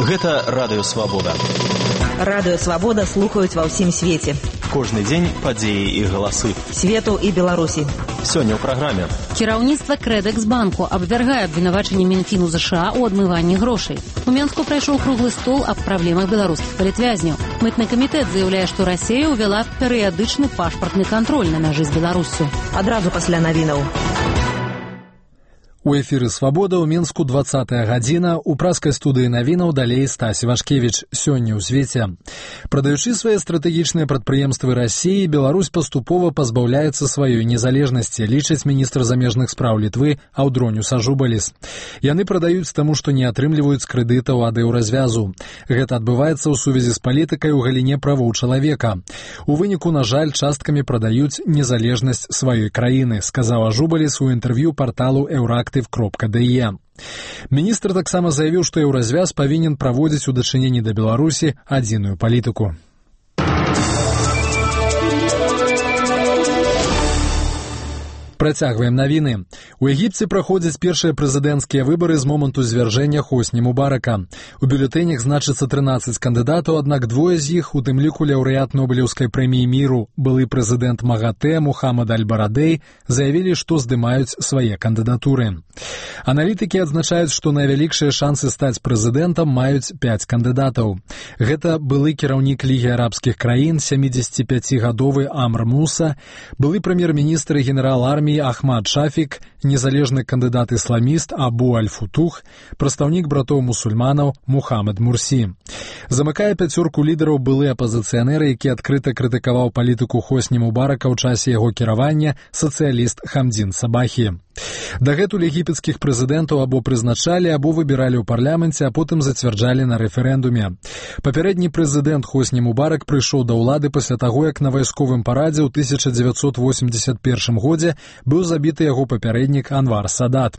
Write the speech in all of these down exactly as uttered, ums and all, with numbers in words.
Гэта Радыё Свабода. Радыё Свабода слухаюць ва ўсім свеце. Кожны дзень падзеі і галасы. Свету і Беларусі. Сёння ў праграме. Кіраўніцтва Крэдэкс-банку абвяргае абвінавачанне Мінфіну ЗША ў адмыванні грошай. У Менску прайшоў круглы стол аб праблемах беларускіх палітвязняў. Мытны камітэт заяўляе, што Расія ўвяла перыядычны пашпартны кантроль на мяжы з Беларуссю. Адразу пасля навінаў. У эфіры «Свабода» ў Мінску двадцатая гадзіна. У праскай студыі навінаў далей Стась Івашкевіч. Сёння ў свеце. Прадаючы свае стратэгічныя прадпрыемствы Расіі, Беларусь паступова пазбаўляецца сваёй незалежнасці, лічыць міністр замежных спраў Літвы Аўдроніус Ажубаліс. Яны прадаюць таму, што не атрымліваюць крэдытаў ад еўразвязу. Гэта адбываецца ў сувязі з палітыкай у галіне правоў чалавека. У выніку, на жаль, часткамі прадаюць незалежнасць сваёй краіны, сказаў Ажубаліс у інтэрв'ю парталу Еўрактыв кропка дэ е. Міністр таксама заявіў, што еўразвяз павінен праводзіць у дачыненні да Беларусі адзіную палітыку. Працягваем навіны. У Егіпце праходзяць першыя прэзідэнцкія выбары з моманту звяржэння Хосні Мубарака. У бюлетэнях значыцца трынаццаць кандыдатаў, аднак двое з іх, у тым ліку лаўрэат Нобелеўскай прэміі міру, былы прэзідэнт МАГАТЭ Мухаммад Аль-Барадэй, заявілі, што здымаюць свае кандыдатуры. Аналітыкі адзначаюць, што найвялікшыя шансы стаць прэзідэнтам маюць пяць кандыдатаў. Гэта былы кіраўнік Лігі арабскіх краін, сямідзесяціпяцігадовы Амр Муса, былы прэм'ер-міністр і генерал арміі Ахмад Шафік, незалежны кандыдат-ісламіст Абу Аль-Футух, прадстаўнік братоў-мусульманаў Мухаммад Мурсі. Замыкае пяцёрку лідараў былы апазіцыянер, які адкрыта крытыкаваў палітыку Хосні Мубарака ў часе яго кіравання, сацыяліст Хамдзін Сабахі. Дагэтуль егіпецкіх прэзідэнтаў або прызначалі, або выбіралі ў парламенце, а потым зацвярджалі на рэферэндуме. Папярэдні прэзідэнт Хосні Мубарак прыйшоў да ўлады пасля таго, як на вайсковым парадзе ў тысяча дзевяцьсот восемьдзесят першым годзе быў забіты яго папярэднік Анвар Садат.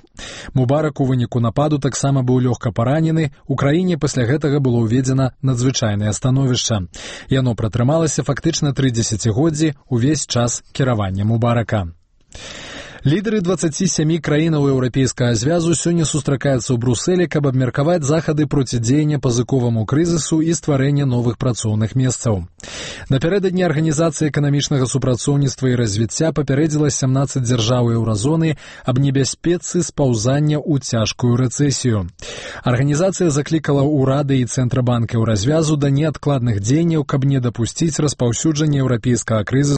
Мубарак у выніку нападу таксама быў лёгка паранены. У краіне пасля гэтага было ўведзена надзвычайнае становішча. Яно пратрымалася фактычна тры дзесяцігоддзі, увесь час кіравання Мубарака. Лідары дваццаці сямі краінаў еўрапейскага звязу сёння сустракаюцца ў Брусэлі, каб абмеркаваць захады процідзеяння пазыковаму крызісу і стварэння новых працоўных месцаў. Напярэдадні Арганізацыя эканамічнага супрацоўніцтва і развіцця папярэдзіла сямнаццаць дзяржаў еўразоны аб небяспецы спаўзання ў цяжкую рэцэсію. Арганізацыя заклікала ўрады і Цэнтрабанк еўразвязу да неадкладных дзеянняў, каб не дапусціць распаўсюджання еўрапейскага крызісу